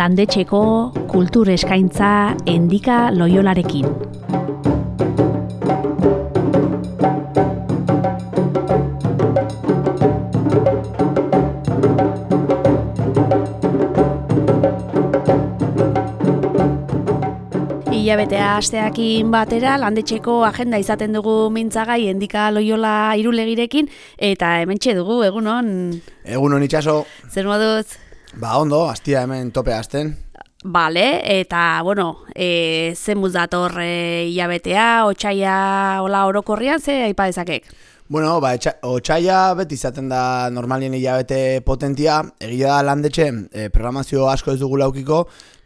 landetxeko kultur eskaintza Endika Loiolarekin. Hilabetea asteakin batera landetxeko agenda izaten dugu mintzagai Endika Loiola Irulegirekin, eta hementxe dugu, egunon. Egunon itxaso. Zer moduz? Ba ondo, astia hemen tope hasten. Bale, eta bueno, zen dator hilabetea, otsaia hola orokorrian, ze aipa dezakek? Bueno, ba, otsaia beti izaten da normalien hilabete potentia, egia da landetxe programazio asko ez dugu laukiko,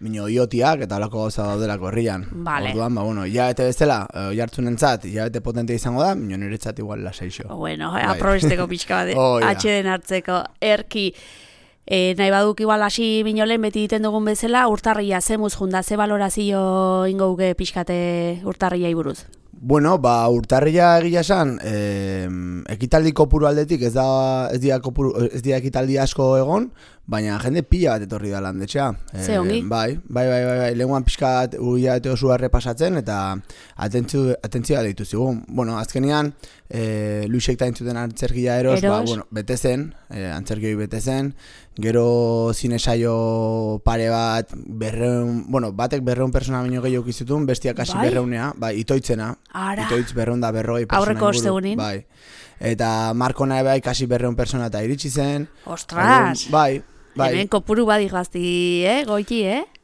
mino iotiak eta olako gauza daudelako herrian. Vale. Orduan, ba, bueno, hilabete bezala, jartzunentzat, hilabete potentia izango da, mino niretzat igual lasaixo. Bueno, aprobesteko pixka bat, ja. atxeden hartzeko, erki. Nahi baduk igual hasi minolen beti egiten dugun bezala, urtarria zemuz junda, ze valorazio ingouke pixkate urtarriai buruz? Bueno, ba, urtarria egia esan, ekitaldi kopuru aldetik ez dira ekitaldi asko egon, baina jende pila bat etorri da landetxea. Ze ongi? Bai, lehenguan pixkat hilabete oso errepasatzen eta atentzioa deitu zigun. Bueno, azkenean, Luisek ta entzuten antzerkia eros, ba, bueno, bete zen, antzerkioi bete zen, gero zinesaio pare bat, batek 200 persona baino gehiago izutun, bestiak hasi 200, bai, itoitzena. Ara. Itoitz 240 persona. Aurreko ostegunin. Bai. Eta Markona bai kasi 200 persona eta iritsi zen. Ostras! Bai. Hemen kopuru badi gazti, goiti,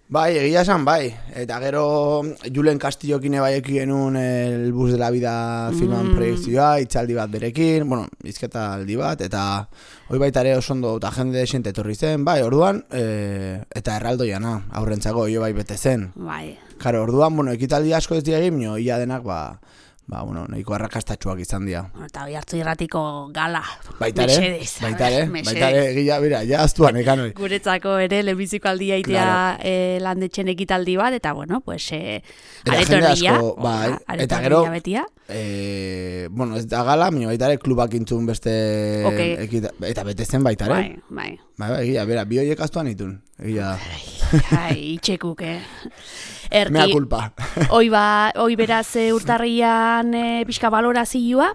Bai, egia esan, bai. Eta gero Julen Castillokin bai eki genuen El Bus de la Vida filman proiektzioa, itzaldi bat berekin, bueno, izketa aldi bat, eta hoi baita ere oso ondo eta jende desente etorri zen, bai, orduan, eta erraldoiana, aurrentzako, jo bai bete zen. Bai. Karo, orduan, bueno, ekitaldi asko ez diagin, ia denak, nahiko arrakastatxuak izan dira. Eta hoi hartu irratiko gala. Baitare, egia, bera, ja aztuan ekan hori. Guretzako ere, lehenbiziko aldia itea landetxen ekitaldi bat, eta bueno, pues, areto erdia. Bai, eta gero, ez da gala, baitare klubak intzun beste, eta bete zen baitare. Bai. Bai, egia, bera, bi horiek aztuan itun, egia. Itxekuk, Mea culpa. Hoi beraz urtarrian pixka valorazioa.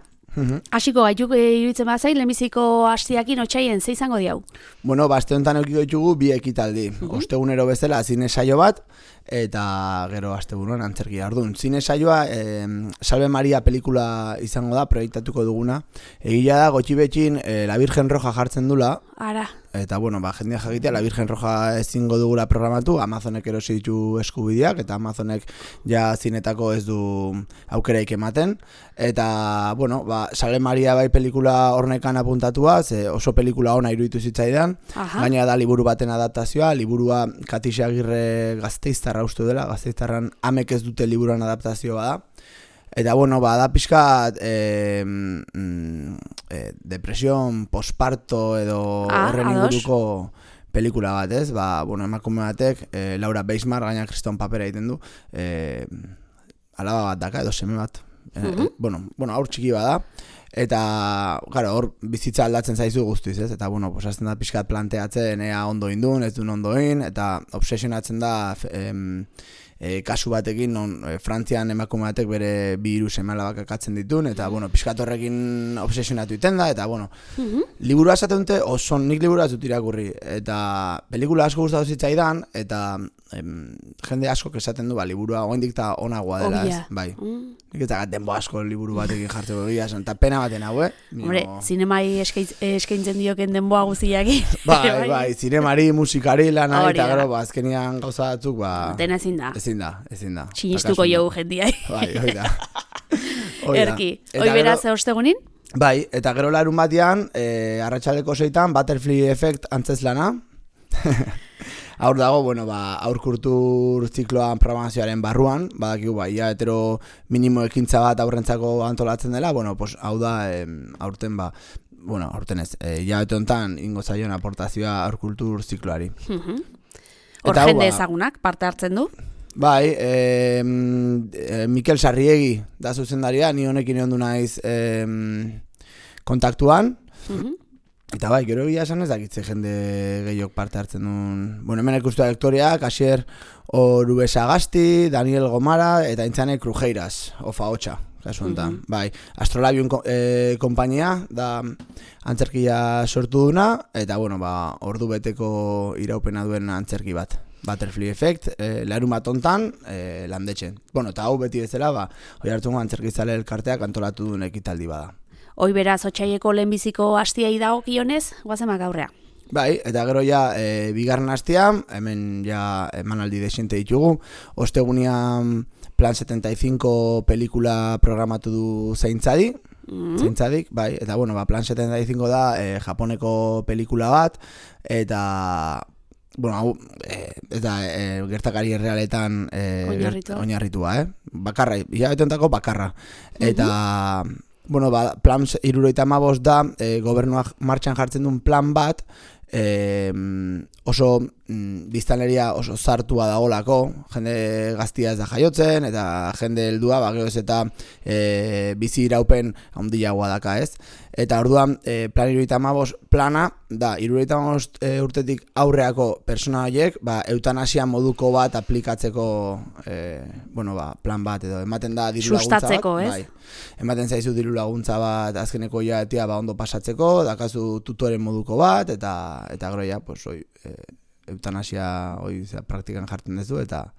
Hasiko gaituk iruditzen bazain, lehenbiziko hastiakin otsaien, ze izango diau? Bueno, aste honetan eukiko ditugu bi ekitaldi. Ostegunero bezala zine saio bat, eta gero asteburuan antzerkia. Orduan, zine saioa Salve Maria pelikula izango da, proiektatuko duguna. Egia da, gotxibetxin La Virgen Roja jartzen dula. Ara. Eta, jendea jakitea, La Virgen Roja ezingo dugula programatu, Amazonek erosi ditu eskubideak, eta Amazonek ja zinetako ez du aukeraik ematen. Eta, Salve Maria bai pelikula hornekan apuntatua, oso pelikula ona iruditu zitzaidan. Gaina da liburu baten adaptazioa, liburua Katixe Agirre Gasteiztarra uste dela, Gasteiztarran amek ez dute liburuan adaptazioa da. Eta, da pixkat depresión, posparto edo horren inguruko pelikula bat, ez? Emakume batek, Laura Beismar, gaina kriston papera egiten du, alaba bat daka edo seme bat. Aur txiki bada. Eta, hor bizitza aldatzen zaizu guztiz, ez? Eta, hasten da pixkat planteatzen ea ondo indun, ez duen ondoin, eta obsesionatzen da kasu batekin, Frantzian emakume batek bere bi hiru seme-alabak akatzen ditun, eta, pixkat horrekin obsesionatu iten da, eta, liburua esaten dute, nik liburua ez dut irakurri, eta pelikula asko gustatu zitzaidan, eta jende asko esaten du, liburua oraindik ta onagoa dela, ez? Bai. Nik ez da denbo asko liburu batekin jartzeko egia esan, eta pena baten hau, Hombre, zinemai eskaintzen dioken denboa guztiaki. Bai, zinemari, musikari, lanari, eta gero, azkenian gauza batzuk, dena ezin da. Ezin da. Sinistuko jogu jendiai. Bai, hoi da. Erki, hoi beraz ostegunin? Bai, eta gero larun batean, arratsaldeko 6 Butterfly Effect antzezlana. Aur dago, aur kultur zikloan programazioaren barruan, badakigu, hetero minimo ekintza bat aurrentzako antolatzen dela, hau da, aurten aurten ez, hilabete honetan ingo zaion aportazioa aur kultur zikloari. Hor jende ezagunak parte hartzen du? Bai, Mikel Sarriegi da zuzendaria, ni honekin egon du naiz kontaktuan. Eta bai, gero egia esan ez dakitze jende gehiok parte hartzen duen. Bueno, hemen ikustu aktoreak, Asier Orubesagasti, Daniel Gomara, eta Intzane Krujeiras, Ofa Hotxa, kasu honetan. Bai, Astrolabion konpainia da antzerkia sortu duna, eta bueno, ordu beteko iraupena duen antzerki bat. Butterfly Effect, larun bat ontan, landetxen. Bueno, eta hau beti bezala, Oiartzungo antzerkizale elkarteak antolatu duen ekitaldi bada. Hoi beraz, Otsaieko lehenbiziko hastiai dagokionez, goazemak aurrea. Bai, eta gero ja, bigarren hastia, hemen ja emanaldi desiente ditugu, ostegunian Plan 75 pelikula programatu du Zaintzadi, Zaintzadik, bai, eta bueno, Plan 75 da Japoneko pelikula bat, eta bueno, hau, eta gertakari errealetan oinarritua, bakarra, hilabeteentako bakarra. Eta, bueno, Plan 75 da, gobernuak martxan jartzen duen plan bat, oso biztanleria oso zartua dagoelako, jende gaztia ez da jaiotzen, eta jende heldua, geroz eta bizi iraupen handiagoa daka, ez? Eta orduan, Plan 75 plana da, 75 urtetik aurreako persona horiek, eutanasia moduko bat aplikatzeko, plan bat, edo ematen da diru laguntza bat. Sustatzeko, ez? Bai, ematen zaizu diru laguntza bat azkeneko jaetia ondo pasatzeko, dakazu tutoren moduko bat, eta gero ja, pues, eutanasia praktikan jartzen dezu, eta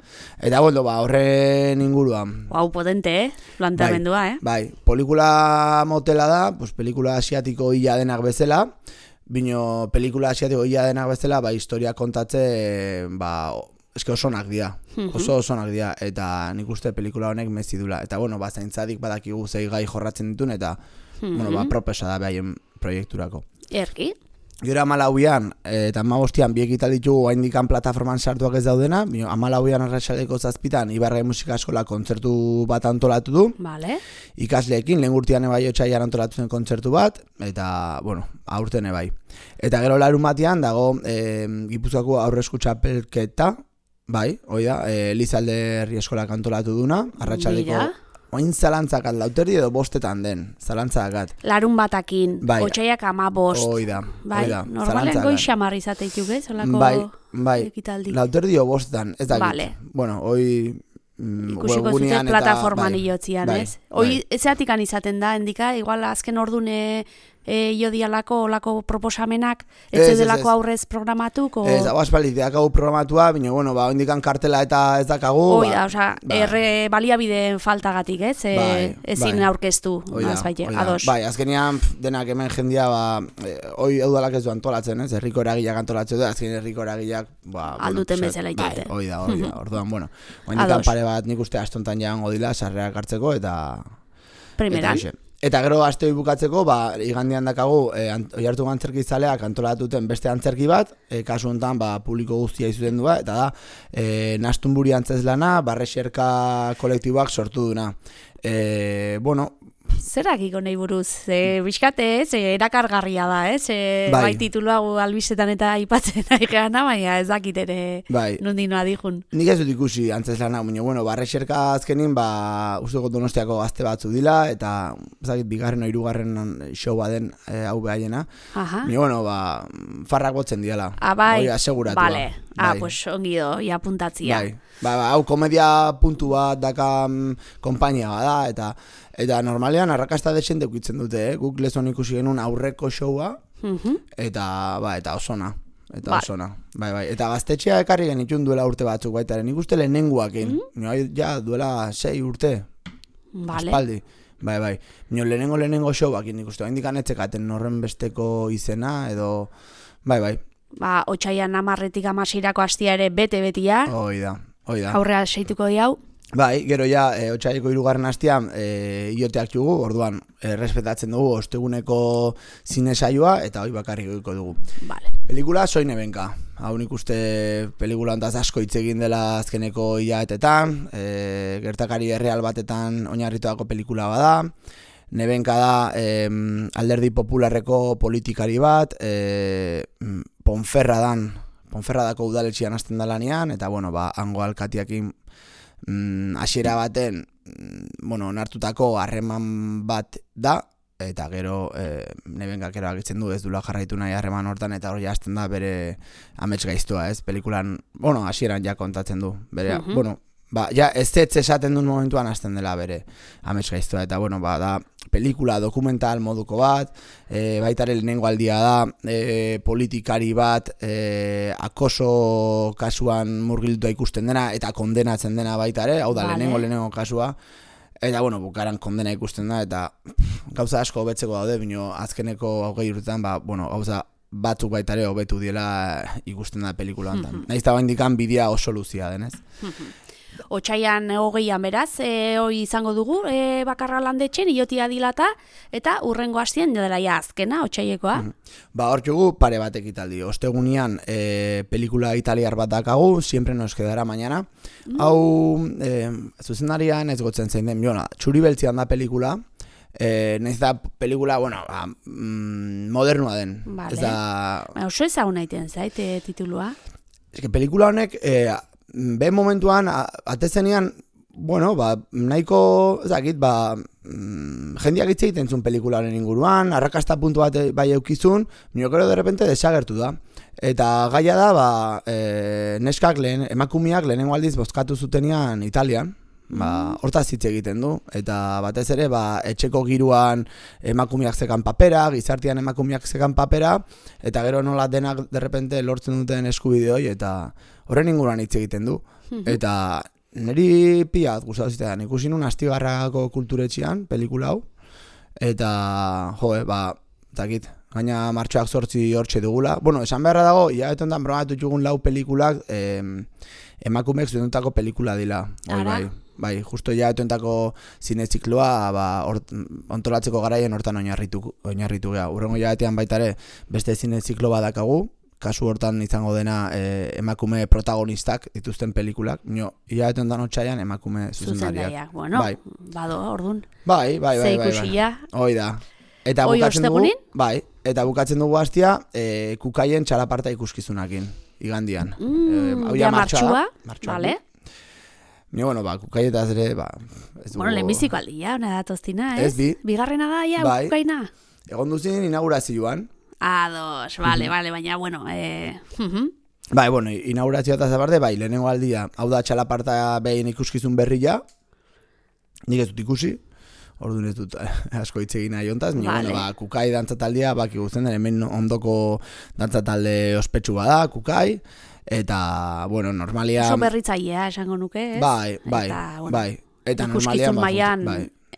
bueno, horren inguruan. Hau potente, planteamendua, Bai, pelikula motela da, pues, pelikula asiatiko hila denak bezala, bino pelikula asiatiko hila denak bezala, historia kontatze, eske oso onak dira, oso onak dira, eta nik uste pelikula honek mezi dula. Eta bueno, Zaintzadik badakigu zei gai jorratzen ditun, eta propesa da behaien proiekturako. Erki? Gero 14an eta 15an bi ekitaldi ditugu oraindikan plataforman sartuak ez daudena, 14an arratsaldeko 7 Ibarra Musika Eskola kontzertu bat antolatu du. Vale. Ikasleekin lehen urtean bai otsailean antolatu zen kontzertu bat, eta bueno, aurten bai. Eta gero larun batean dago Gipuzkoako aurresku txapelketa, bai, hoi da, Elizalde Herri Eskolak antolatu duna, arratsaldeko oin zalantzakat lauterdi edo bostetan den, zalantzakat. Larun batakin, otsaiak 15. Hoi da, normalen goixamar izateituk, zolako ekitaldi. Lauterdi edo bostetan, ez dakit. Vale. Bueno, hoi ikusiko zute plataforman iotzian, ez? Hoi zeatikan izaten da, endika, igual azken ordune jodialako olako proposamenak, ez delako aurrez programatuko? Ez, hau aspaldi, deakagu programatua, bine, bueno, indikan kartela eta ez dakagu. Hoi da, erre baliabideen faltagatik, ez? Ezin aurkeztu, azbaite, ados. Bai, azkenian denak hemen jendia, hoi eudalak ez du antolatzen, ez? Herriko eragileak antolatzen du, azken herriko eragileak, alduten bezala itote. Hoi da, orduan, bueno, indikan pare bat nik uste astontan jaango dila, sarrerak hartzeko, eta primeran. Eta gero asteo bukatzeko, igandean dakagu Oiartzungo antzerkizaleak antolatuten beste antzerki bat, kasu honetan publiko guztia izuten du, eta da Nastunburi antzeslana, Barrexerka kolektiboak sortu duna. Bueno, zerakiko nahi buruz, bizkate, erakargarria da, bai titulu hau albistetan eta aipatzen nahi geana, baina ez dakit ere nondinoa dihun. Nik ez dut ikusi antzeslana, bueno, Barrexerka azkenin, usteko Donostiako gazte batzu dila, eta bigarren o hirugarren show baden hau behaiena. Bueno, farrak botzen diala. Bai, aseguratua. Vale, pues ongido, ia puntatzia. Hau komedia puntu bat daka konpainia bada, eta normalean arrakasta desente ukitzen dute, guk lezon ikusi genuen aurreko showa, eta osona. Eta osona. Eta gaztetxea ekarri genitxun duela urte batzuk baitaren, nik uste lehenenguakin. Ja, duela 6 urte. Aspaldi. Bai. Lehenengo showakin nik uste, indikan etzekaten horren besteko izena, edo... Bai. Otsaian 10-tik 16 hastia ere bete-betia. Hoi da. Aurrea seituko diau. Bai, gero ja, otsaileko 3. hastian ioteak jugu, orduan, respetatzen dugu osteguneko zine saioa, eta hoi bakarrik goiko dugu. Vale. Pelikula Soy Nebenka. Hau nik uste pelikula ontaz asko hitz egin dela azkeneko hilabetetan, gertakari erreal batetan oinarrituako pelikula bada. Nebenka da alderdi popularreko politikari bat, Ponferradako udaletxean hasten da lanean, eta bueno, hango alkatiakin hasiera baten, onartutako harreman bat da, eta gero Nebenkak erabakitzen du ez dula jarraitu nahi harreman hortan, eta hori hasten da bere amets gaiztua, ez? Pelikulan, hasieran ja kontatzen du, bere, ja ez esaten duen momentuan hasten dela bere amets gaiztua, eta da pelikula dokumental moduko bat, baitare lehenengo aldia da, politikari bat, akoso kasuan murgilduta ikusten dena, eta kondenatzen dena baitare, hau da lehenengo kasua, eta bukaran kondena ikusten da, eta gauza asko hobetzeko daude, bino azkeneko 20 urtetan, gauza batzuk baitare hobetu diela ikusten da pelikula hontan. Nahiz eta baindikan bidea oso luzia denez. Otsaian 20an beraz, hoi izango dugu, bakarra landetxen, Ilotia dilata, eta urrengo hastien dela ja azkena, otsailekoa. Hor jugu pare bat ekitaldi. Ostegunian pelikula italiar bat dakagu, Siempre nos quedará mañana. Hau, zuzendarian ez gotzen zein den, Txuri beltzian da pelikula, nahiz da pelikula, modernua den. Oso ezaguna iten zait titulua. Pelikula honek, ben momentuan, atezenean, nahiko, ezakit, jendeak hitz egiten zuen pelikularen inguruan, arrakasta puntu bat bai eukizun, minokero de repente desagertu da. Eta gaia da, neskak emakumeak lehenengo aldiz bozkatu zutenean Italian, hortaz hitz egiten du, eta batez ere, etxeko giruan emakumeak zekan papera, gizartean emakumeak zekan papera, eta gero nola denak de repente lortzen duten eskubideoi, eta horren inguruan hitz egiten du. Eta niri piat gustatu zitean, ikusi nun Astigarragako kulturetxean, pelikula hau, eta, zakit, gaina martxoak 8 hortxe dugula. Esan beharra dago, hilabetontan bromatu txugun 4 pelikulak emakumeek zudentako pelikula dila. Bai, justo hilabetonetako zinezikloa ontolatzeko garaien hortan oinarritu geha. Urrengo hilabetean baitare beste zineziklo badakagu, kasu hortan izango dena emakume protagonistak dituzten pelikulak. Hilabetontan otsaian emakume zuzendariak. Bado, ordun. Bai. Hoi da. Eta bukatzen dugu hastia Kukaien txalaparta ikuskizunakin, igandian. Ja martxua, bale. Kukaietaz ere, lehenbiziko aldia, hona datoztina, ez? Ez bi. Bigarrena da, Kukaina. Egon duzin inaugurazioan. Ados, bale, baina, inaugurazioa eta zabarte, lehenengo aldia, hau da txalaparta behin ikuskizun berria, nik ez dut ikusi, orduan ez dut asko hitz egin nahi hontaz, Kukai dantzataldia, ikusten den, hemen ondoko dantzatalde ospetsu bada, Kukai, eta, normalia... Oso berritzailea, esango nuke, ez? Bai. Eta ikuskizun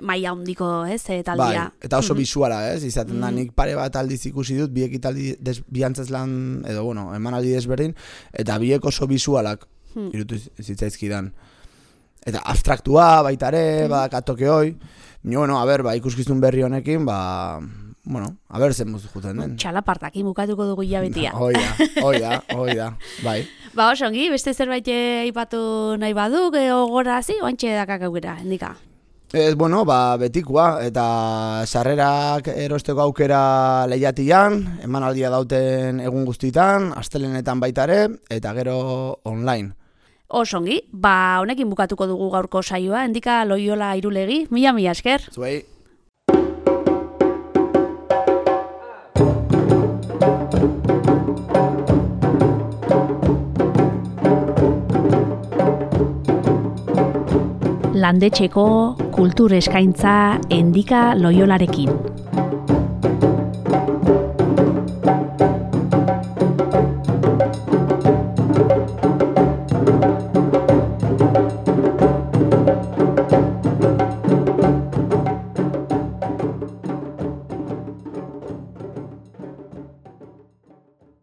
maila hondiko, ez, taldia. Eta oso bisuala, ez? Izaten da, nik pare bat aldiz ikusi dut, biek italdi biantzazlan, edo, emanaldi desberdin, eta biek oso bisualak irutu zitzaizkidan. Eta abstraktua, baitare, badakatoke hoi. Ikuskizun berri honekin, zen muzu juten den. Txalapartakin bukatuko dugu hilabetia. Hoi da, bai. Oso ongi, beste zerbait aipatu nahi baduk, gogorazi, oantxe dakak aukera, endika. Ez, betikoa, eta sarrerak erosteko aukera lehiatian, emanaldia dauten egun guztitan, astelenetan baitare, eta gero online. Osongi, honekin bukatuko dugu gaurko saioa, endika Loiola Irulegi, mila esker. Zuei. Landetxeko kultur eskaintza endika Loiolarekin.